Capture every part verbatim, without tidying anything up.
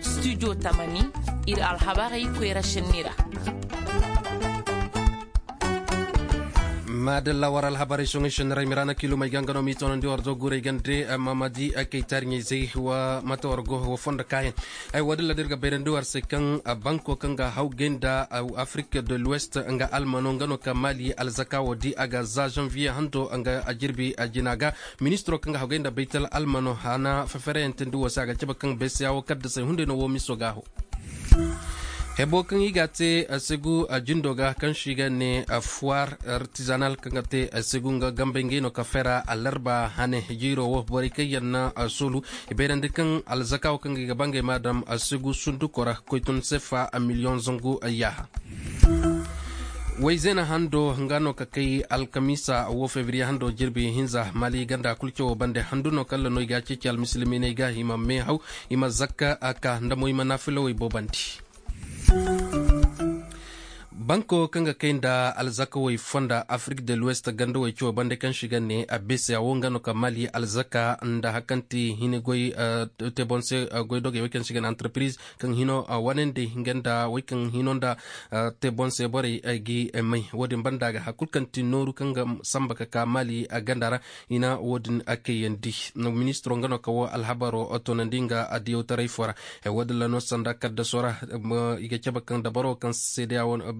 Studio tamani, ir alhabarey koyra šenni ra. Maadalla war alhabarey soŋey šenni ra i ma ra na kiilumey ga nga no m'i toonandi war do guurey gande. Mamadi kaytaari ɲayzey wa mate war go wa fondo kaayaŋ. Ay woodin ra da ir ga bayrandi war se kaŋ banko kaŋ ga hawgay nda afrik de l'ouest nga almano nga no ka mali alzaka wo di a ga za zanviye hando nga jirbi jina ga. Ministiro kaŋ ga hawgay nda baytal almano hana fefereyantandi wo se a ga cabe kaŋ beseya wo kaddasey hunday no wo miso ga ho. Hebo kaŋ i ga a te segu jindo ga kaŋ se i ga ne foir artisanal kaŋ ga te segu nga gambey ngey no ka fera alarba hane jiiro wo borey kaŋ yaŋ na soolu. I bayrandi kaŋ alzaka wo kaŋ ga i ga ba ngey ma daŋ segu sunduko ra koy tun sefa miliyoŋ zangu yaaha. Wayzeena hando nga no ka kay alkamiisa wo febriye hando jirbi hinza mali ganda kulu cawo bande handu no kalla no i ga a ceeci almisilimiiney ga i ma meehaw, i ma zakka a ka nda mo i ma naafilawey boobandi. Banko kaŋ ga kay nda alzakawey fonda afrik de l'ouest gandawey cawo bande kaŋ se i ga ne a beseya wo nga no ka mali alzaka nda hakanti hini goy te boŋ se. Goydogey wey kaŋ se i ga ne entreprise kaŋ hino wanandi nga nda wey kaŋ hino nda te boŋ se borey gi may wo-din banda ga hari kulu kaŋ ti nooru kaŋ ga samba ka ka mali ganda ra. I na wo-din kayyandi ministiro nga no ka wo alhabaro toonandi nga adiyawtaray fo ra. Wo-din ra no sanda kaddaso ra i ga cabe kaŋ dabaro kaŋ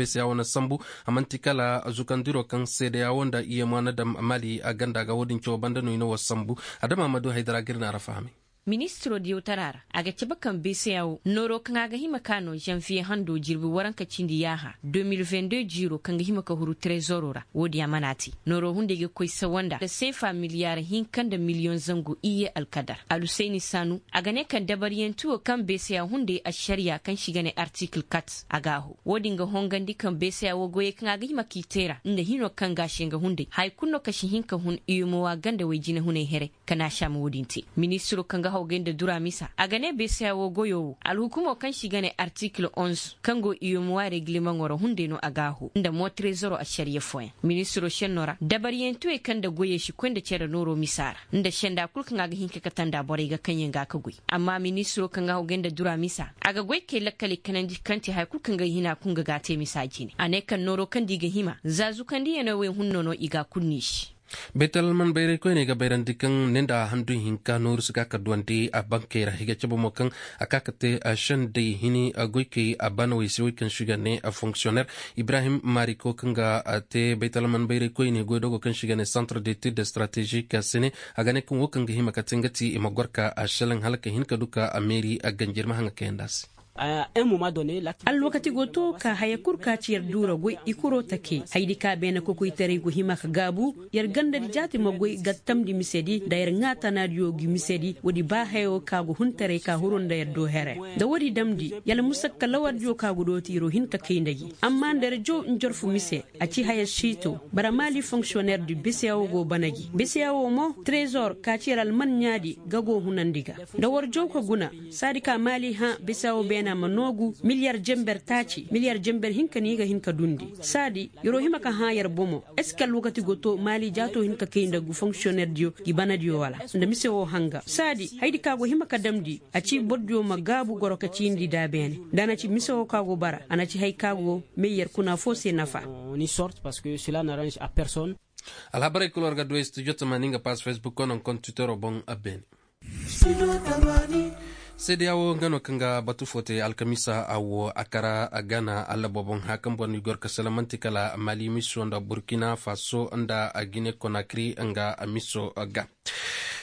beeseya wo na sambu a man'ti kala zukandiro kaŋ seedeya wo nda iyemwa na daŋ mali ganda ga wo-din cawo banda no i na wo sambu. Adama ma du haydara ga ir na ra fahamay. Ministiro diyawtara ra a ga cabe kaŋ beeseya wo nooro kaŋ a ga hima ka no zanviye hando jirbi waranka cindi yaaha de mil vingt deux jiiro kaŋ ga hima ka huru trezoro ra wo-din a mana te nooro hunday ga koy sawanda nda seefa miliyaar hinka nda miliyoŋ zangu iyye alkadar alusayni saanu a ga ne kaŋ dabaryanti wo kaŋ beeseya hunday ašariya kaŋ se i ga ne artikil kat a ga a ho wo-din ga hongandi kaŋ beeseya wo goyey kaŋ a ga hima k'i te ra nda hino kaŋ ga a se nga hunday haya kulu no ka si hin ka hun iyumowa gandawey jinehunay here. Ka naasa ma wo-din te ministiro kaŋ ga hawgay nda dura misa a ga ne beeseya wo goyo wo alhukumo kaŋ se i ga ne artikil onze kaŋ go iyumowa reglimaŋo ra hunday no a ga a ho nda mo trezoro ašariya fooyaŋ ministiro šenno ra dabaryantiwey kaŋ nda goyey si koy nda cere nooro misa ra nda senda kulu kaŋ a ga hin ka kate nda borey ga kaŋ yaŋ ga a ka goy amma ministiro kaŋ ga hawgay nda dura misa a ga goy kay lakkaley kanandi kaŋ te haya kulu kaŋ ga hina kun ga ga a te misa jine a ne kaŋ nooro kaŋ nda i ga hima za zukandiyaney wey hunno no i ga a kulu niisi. Beetal alman bayray koyney ga bayrandi kaŋ ne nda handu hinka nooru si ka ka duwandi a bankey ra i ga cabe mo kaŋ a ka ka te sendey hini goykey a banawey se wey kaŋ se i ga ne fonksiyoner ibrahim mariko kaŋ ga te baytal man bayray koyne goydogo kaŋ se i ga ne centre d'étude stratégique se ne a ga ne kaŋ wo kaŋ ga hima ka te nga ti i ma gor ka a selaŋ hala ka hin ka du ka a meeri a ganjir ma haŋa kayandi a se. Alwakati go to ka haya kul ka ci yer duura goy i kuro take haydi ka beene kokoytaray go hima ka gaabu. Yer gandadi jaati ma goy gattamndi misedi nda yer ŋaa tanaadiyo gi misedi woodi ba hayo ka go huntaray ka huru nda yer do here nda woodi damndi yala musakka lawardiyo ka go dooti yer wo hin ka kay nda gi amma nda yer jow njorfu mise a ci haya siito. Bara maali fonksiyoneer di beseyawo go bana gi beseyawo mo trezor ka ci yer alman ɲaadi ga go hunandi ga nda war jow ka guna. Saadi ka maali hã beseyawo beena ma noogu miliyar jember taaci miliyar jember hinka no i ga hin ka dundi saadi yer wo hima ka hã yer bomo. Eske alwakati go to maali jaato hin ka kay nda gu fonksiyoneer diyo gi bana diyo wala nda mise wo hanga saadi haydi ka go hima ka damndi a ci boro diyo ma gaabu goro ka ciindi da beene nda a na ci mise wo ka go bara a na ci hay ka go may yer kuna foo se nafa. Alhabarey kul war ga du ay studio tamaani nga pass facebook kono nga kontitoro boŋ a beene. Seedeya wo nga no kaŋ ga batu fo te alkamiisa a wo a kara a gana alla booboŋ haya kaŋ boro ni gor ka sala man'ti kala mali miso nda burkina faso nda gine konakri nga miso ga.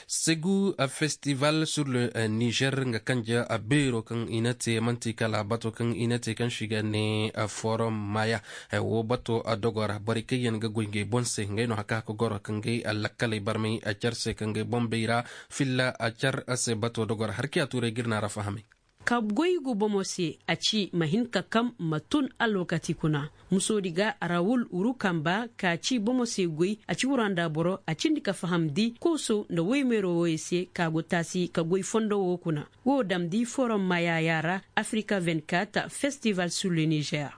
Segu festival sur le niger nga kanje beero kaŋ i na te man'ti kala bato kaŋ i na te kaŋ se i ga ne forum maya. Wo bato dogo ra borey kaŋ yaŋ ga goy ngey boŋ se ngey no haka haka goro ka ngey lakkaley barmay car se ka ngey boŋ bayra filla car se bato dogo ra har kiya tuuray ga ir na ra fahamay. Ka goy gu bomo se a ci ma hin ka kam ma tun alwakati kuna. Musoodi ga rawul uru kamba ka ci bomo se goy a ci wura nda boro a cindi ka fahamndi kooso nda woymeero wooyo se ka go taasi ka goy fondo woo kuna. Woo damndi forom maayaaya ra. Afrika vingt-quatre festival sur le niger.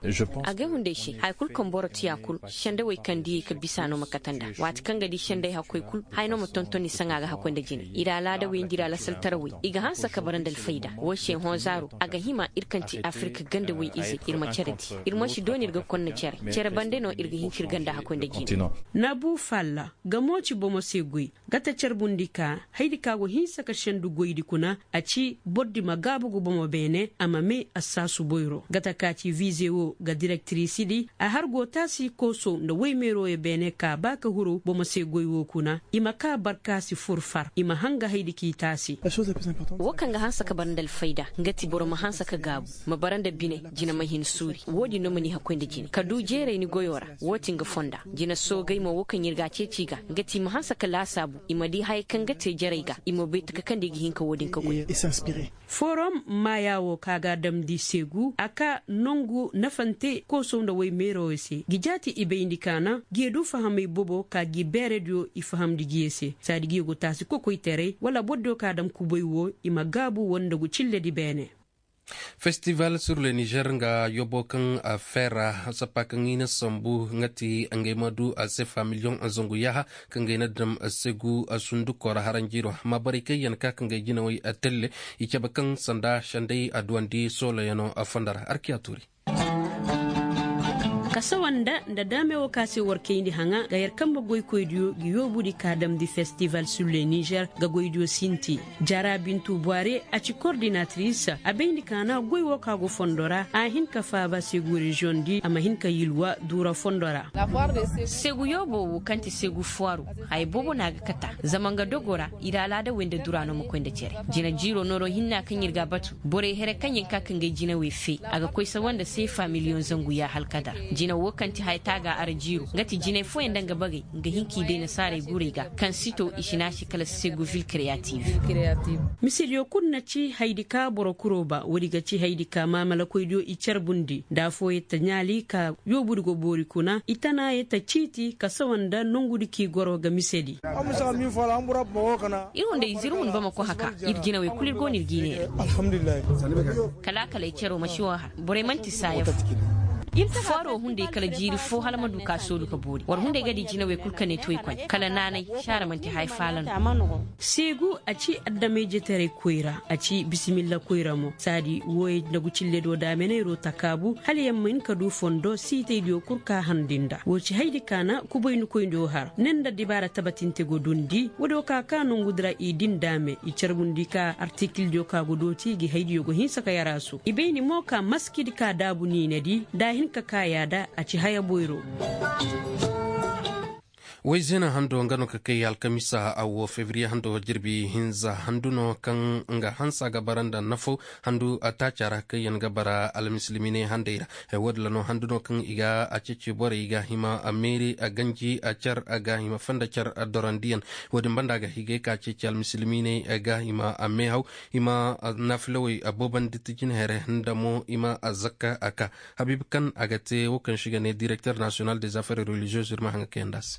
Agay hunday se haya kul kaŋ boro tiya kul sendawey kaŋ diyey ka bisa no ma kate nda waati kaŋ ga di senday hakkoy kul haya no ma tonton ni saŋa ga hakkoy nda jine i ra alaadawey nda i ra lasaltarawey i ga hanse ka bara nda alfayda woo se hõ zaaro a ga hima ir kaŋ ti afirka gandawey izey ir ma cere di. Ir ma si dooni ir ga konna cere cere bande no ir ga hin ka ir ganda hakkoy nda jine. Nabu falla ga mooci bomo se goy. Gata carbundi ka haydi ka go hinsa ka sendu goydi kuna a ci bordi ma gaabu ga bomo beene a ma mee assaasu boyro gata ka ci vize wo ga direktirisidi a har go taasi kooso nda woymeerooyo beene ka ba ka huru bomo se goy wo kuna i ma ka barkaasi fur far i ma hanga haydi k'i taasi. Wo kaŋ ga hanse ka bara nda alfayda nga ti boro ma hanse ka gaabu ma bara nda bine jina ma hin suuri wo-din no ma ni hakkoy nda jine ka du jeeray ni goyo ra. Wo ti nga fonda jina soogay mo wo kaŋ ir ga a ceeci ga nga ti i ma hanse ka laasaabu i ma di haya kaŋ ga te jarey ga i ma bay taka kaŋ nda i ga hin ka wo-din ka goy. Forom maaya wo ka ga a damndi seegu a ka nongu nafante koosow nda woymeerowey se ngi jaati i bayndi ka naŋ ngi ye du fahamey bobo ka ngi beerediyo i fahamndi ngi ye se saadi ngi ye go taasi kokoytaray wala bordiyo ka a dam kubay wo i ma gaabu wala nda gu cilledi beene. Festival sur le niger nga yobo kaŋ a feera sappa kaŋ i na sambu nga ti ngey ma du a sefa miliyoŋ zangu yaaha kaŋ ngey na dam segu a sunduko ra haranjiro ma borey kaŋ yaŋ ka kaŋ ngey jinawey a telle i cabe kaŋ sanda sendey a duwandi sooloyaŋo a fondo ra arkiya tuuri. Kasawa nda nda daame wo ka se war kayndi haŋa ga yer kambe goykoydiyo ngi yoobudi ka damndi festival sur le niger ga goydiyo sinti. Jara bintu bware a ci kordinatris a bayndi ka na goy wo ka go fondo ra a hin ka faaba segu reziyoŋ di a ma hin ka yilwa duura fondo ra. Segu yoobo wo kaŋ ti segu fuwaaru haya boobo no a ga kata zama nga dogo ra ir alaadawey nda dura no ma koy nda cere. Jina jiiro nooro hinna kaŋ ir ga a batu borey here kaŋ yaŋ ka ka ngey jinawey fee a ga koy sawa nda seefa miliyoŋ zangu yaaha alkadar. Jina wo kaŋ ti haya taaga ara jiiro nga ti jinay fooyaŋ nda nga bagey nga hin k'i day nasaarey gurey ga kaŋ si to i si naasi kala segu vil kreyativ. Misediyo kulu na ci haydi ka boro kuro ba woodi ga ci haydi ka maamalakoydiyo i carbundi nda afooyaŋ ta ɲaali ka yoobudi go boori kuna i tanaayey ta ciiti kasawa nda nongudi k'i goro ga misedi. Ir hunday ize ir hun bamako haka ir jinawey kulu ir go no ir g'i neera. Kala a kala ay cero ma si wo har borey man'ti saaya fo. Fooro hunday kala jiiri fo hala ma du ka soodu ka boori war hunday ga di jinawey kulu ka ne to i koy kala naanay saara man'ti haya faala no. Seegu a ci adamay jetaray koyra a ci bisimilla koyra mo saadi wooyey nda gucille do daamenayro takaabu hala yer ma hin ka du fondo siitaydiyo kul ka harndi nda woo ci haydi ka na kubayni koyndi woo har ne nda dibaara tabatinte go dundi woodiyo ka ka nongudi ra i din daame i carbundi ka artikildiyo ka go dooti gi haydiyo go hinsa ka yaraasu i bayni mo ka maskidi ka daabu niinedi nda a hin ka ka yaada a ci haya boyro. Woy zeena hando nga no ka kay alkamisa a wo febriye hando jirbi hinza handu no kaŋ nga hansa ga bara nda nafo handu a taaca ra kaŋ yaŋ ga bara almisilimiiney handey ra. Woodin ra no handu no kaŋ i ga a ceeci borey ga hima a meeri a ganji a car a ga hima fanda car a dorandiyaŋ. Woodin banda a ga higay ka ceeci almisilimiiney a ga hima a meehaw i ma naafilawey a boobandi ti jinhere nda mo i ma a zakka a ka. Habiibu kaŋ a ga te wo kaŋ se i ga ne direkter nasiyonal des affaires religieuses ir ma haŋa kayandi a se.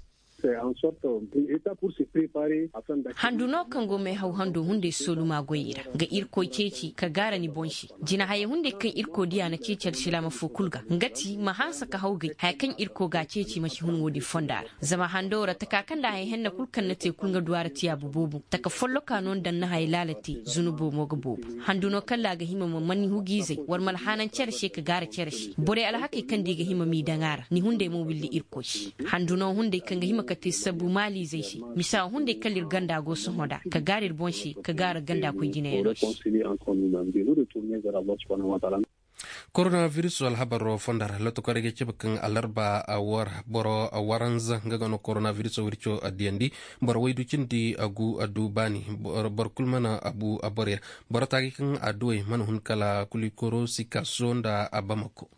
Handu no kaŋ go meehaw hando hunday sooluma goyey ra ga irkoy ceeci ka gaara ni boŋ se. Jinahayey hunday kaŋ irkoy diya na ceeci alsilaama foo kul ga nga ti ma hanse ka hawgay haya kaŋ irkoy ga a ceeci ma si hun woodin fonda ra. Zama hando ra taka kaŋ nda haya henna kul kaŋ na te kul nga du a ra tiyaabu boobo taka folloka no nda ni na haya laala te zunubo mo ga boobo. Handu no kala a ga hima ma man ni hugiizey war ma alhanan cere se ka gaara cere se borey alhakey kaŋ nda i ga hima m'i daŋ a ra ni hunday mo willi irkoy se. Handu no hunday kaŋ ga hima ka te sabu maaliizey se misa hunday kala ir ganda go sohõ nd'a ka gaara ir boŋ se ka gaara ganda koy jinayaŋo se. Koronabiriso alhabaro fonda ra lotokorey ga cabe kaŋ alarba war boro waranza nga ga no koronabiriso wirco a diyandi. Boro waydu cindi a gu a du baani. Boro kulu mana a bu a boro ya boro taagi kaŋ a duwey mana hun kala kulikoro sikaso nda a bamako.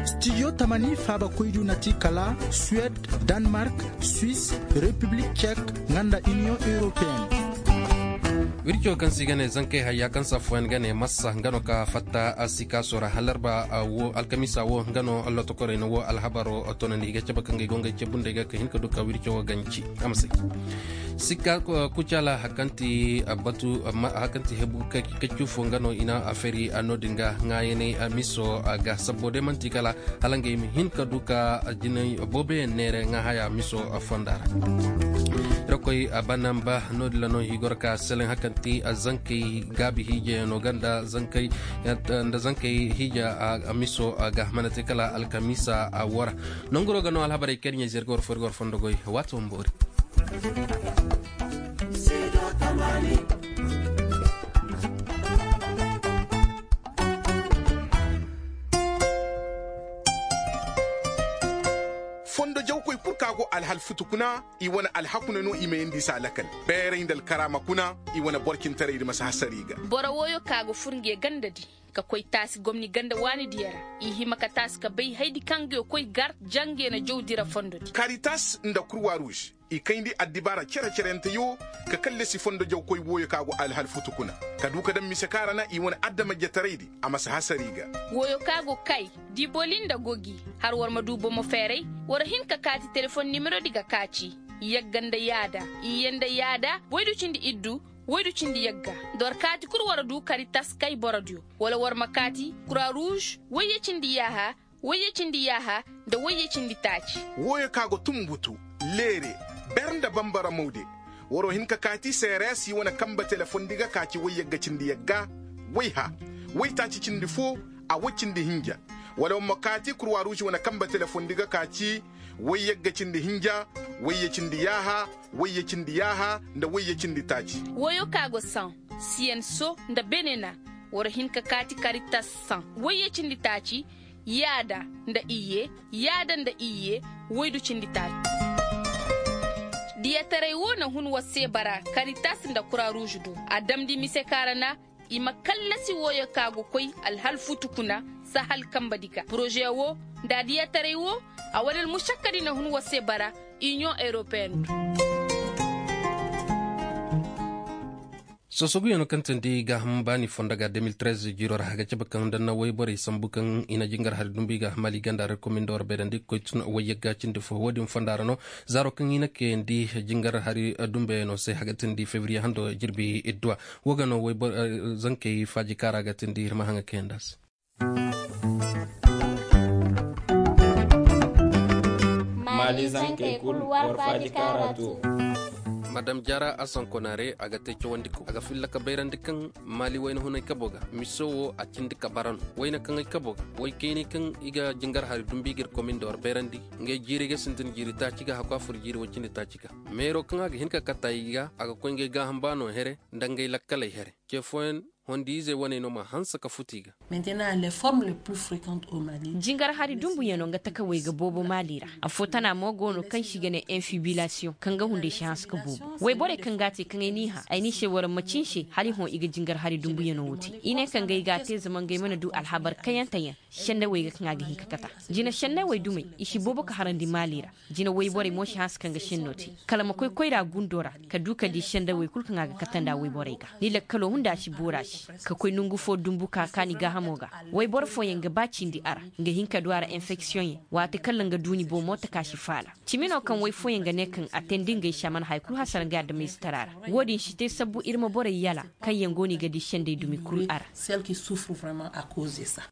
Stijo tamani faabakoydu na ti kala suwed, danmark, swis, repiblik cek, nga nda iniyoŋ europeyenne. Wirco kaŋ se i ga ne zankey hayya kaŋ se affooyaŋ ga ne massa nga no ka fatta, sikaaso ra halarba wo alkamiisa wo nga no lotokorey na wo alhabaro tonandi i ga cabe kaŋ ga i go ngey ce bundey ga ka hin ka du ka wirco wo ganci. A ma se sika kucala hari kaŋ ti batu hari kaŋ ti hebu kaccu fo nga no i na a fari no- din ga ŋaayaney miso ga sabbo day man'ti kala hala ngey ma hin ka du ka jinay booboyaŋ neere ŋaa haya miso fonda ra. Iri koy banamba no- din ra no i goro ka seleŋ hari kaŋ ti zankey gaabi hiijayaŋo ga nda zankey hiija miso ga mana te kala alkamiisa wara. Nanguro ga no alhabarey kaŋ iri ɲa zirga war fo iri ga war fondo goy waati wo ma boori. Fondo jawkoy kul ka go alhal futu kuna i wane alhaku na no i ma yandi i se a lakal. Beeray nda alkaraama kuna i wane boro cintaray di ma si hasara i ga. Boro wooyo ka go fur nge ganda di ka koy taasi gomni ganda waani diya ra. I hima ka taasi ka bay haydi kaŋ nge koy gar jange na jaw dira fondo di karitas nda kurwa ruuz. I kayndi addibaara cere-cerente yoo ka kallasi fondo jawkoy wooyo ka go alhal futu kuna ka du ka daŋ mise kaŋ a ra na i wane adama jetaraydi a ma si hasar i ga. Wooyo ka go kay diboli nda gogi har war ma du bomo feeray. War hin ka kaati telefon nimerodi ga kaaci yagga nda yaada iyye nda yaada waydu cindi iddu waydu cindi yagga. Nda war kaati kul war du karitas kay borodiyo wala war ma kaati kura ruuz wayye cindi yaaha wayye cindi yaaha nda wayye cindi taaci. Wooyo ka go tumbutu leere ber nda bambara mawde. Waroo hin ka kaati seereesi wane kanba telefondi ga kaaci wayyagga cindi yagga wayha waytaaci cindi foo a way cindi hinja. Wala war ma kaati kurwa ruuz wane kanba telefondi ga kaaci wayyagga cindi hinja wayye cindi yaaha wayye cindi yaaha nda wayye cindi taaci. Wooyo ka go saŋ siyenso nda benena. War hin ka kaati karitas saŋ wayye cindi taaci yaada nda iyye yaada nda iyye waydu cindi taaci. Diyataray woo na hun war se bara karitas nda kura ruuz do a damndi mise kaŋ a ra na i ma kallasi wooyo ka go koy alhal futu kuna sahal kanba di ga poroze woo nda diyataray woo a wane almušakka di na hun war se bara iniyoŋ europeyen do. Sosoguyaŋo kaŋ teendi gaaham baani fondo ga de mil trez jiiroo ra a ga cabe kaŋ nda na woyborey sambu kaŋ i na jingar hari dumbu i ga maali ganda ra komin nda war bayrandi ga koy tun woyyagga cindi fo woodin fonda ra no zaaro kaŋ i na kayandi jingar hari dumbuyaŋo se a ga teendi febriye hando jirbi idduwa. Wo ga no woybor zankey faaji kaara ga teendi ir ma haŋa kayandi a se. Maali zankey kul war faaji kaara to. Madam jaara asankonaare a ga te cawandiko a ga filla ka bayrandi kaŋ maali wayna hunay kabo ga miso wo a cindi ka bara no wayna kaŋ ay kabo ga way kaynay kaŋ i ga jingar hari dumbu i ga ir komin nda war bayrandi. Ngey jiiri ga sintin jiiri taaci ga hakku a fur jiiri way cindi taaci ga. Meeroo kaŋ a ga hin ka kata i ga a ga koy ngey gaaham baano here nda ngey lakkaley here ce fooyaŋ hondiizey waney no ma hanse ka futu i ga. Jingar hari dumbuyaŋo nga takawey ga boobo maali ra. Affoo tana mo go no kaŋ se i ga ne infibilasiyoŋ kaŋ ga hunday si hanse ka boobo wayborey kaŋ ga a te kaŋ ay n'i hã ay n'i se war macin se hala i hõ i ga jingar hari dumbuyaŋo wo te i ne kaŋ ga ay ga a te zama ngey mana du alhabar kayanteyaŋ. Sendawey ga kaŋ a ga hin ka kata jina sendawey dumey i si boobo ka harandi maali ra. Jina wayborey mo si hanse kaŋ ga senno te kala ma koy koyra gundo ra ka du ka di sendawey kul kaŋ a ga kata nda wayborey ga ni lakkalo hunda si boora se ka koy nongu fo dumbu ka kaani gaahamo ga. Wayboro fooyaŋ ga ba cindi a ra nga hin ka du a ra infeksiyoŋ yaŋ waati kala nga duuni bomo taka si faala. Cimi no kaŋ way fooyaŋ ga ne kaŋ a teendi ngey se a mana haya kul hasara ngey adamayze tara ra. Wo-din si te sabbu ir ma borey yala kaŋ yaŋ go no i ga di sendey dumi kul a ra.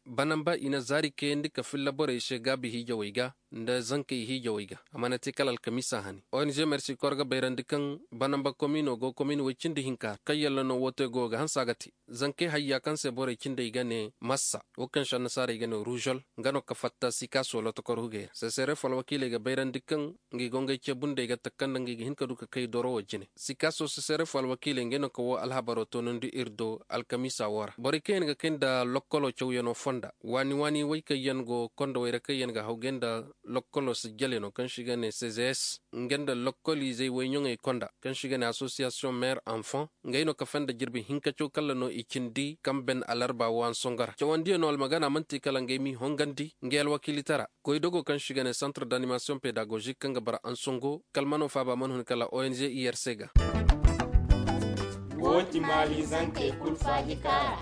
Banamba i na zaari kayandi ka filla borey se gaabi hiijawey ga nda zankey hiijawey ga a mana te kala alkamiisa hani. Ong mersi kor ga bayrandi kaŋ banamba komiino go komiin woy cindi hinka ra kaŋ yalla no woote go ga hanse a ga te. Zankey hayya kaŋ se borey cindey ga ne massa wo kaŋ se annasaarey ga ne ruuzol nga no ka fatta sikaaso lotokor hugey ra seseref alwakiiley ga bayrandi kaŋ ngey go ngey ce bundey ga taka nda ngey ga hin ka du ka kay doro wo jine. Sikaaso seseref alwakiiley ngey no ka woo alhabaro toonandi ir do alkamiisa woo ra borey kaŋ yaŋ ga kay nda lokkolo cawyanoo fonda waani waani wey kaŋ yaŋ go kondowey ra kaŋ yaŋ ga hawgay nda lokkolo sijjalyanoo kaŋ se i ga ne cgs nga nda lokkoliizey woyɲoŋey konda kaŋ se i ga ne asosiyasiyoŋ meer anfan. Ngey no kafe nda jirbi hinka caw kalla no i cindi kaŋ ben alarba woo hansongo ra cawandiyanoo almagana man'ti kala ngey m'i hongandi ngey alwakiilitara. Goydogoo kaŋ se i ga ne santre d'animasiyoŋ pedagozik kaŋ ga bara hansongo kala man'o faaba man hun kala ong irc ga. Wooti maali zankey kul faaji kaara.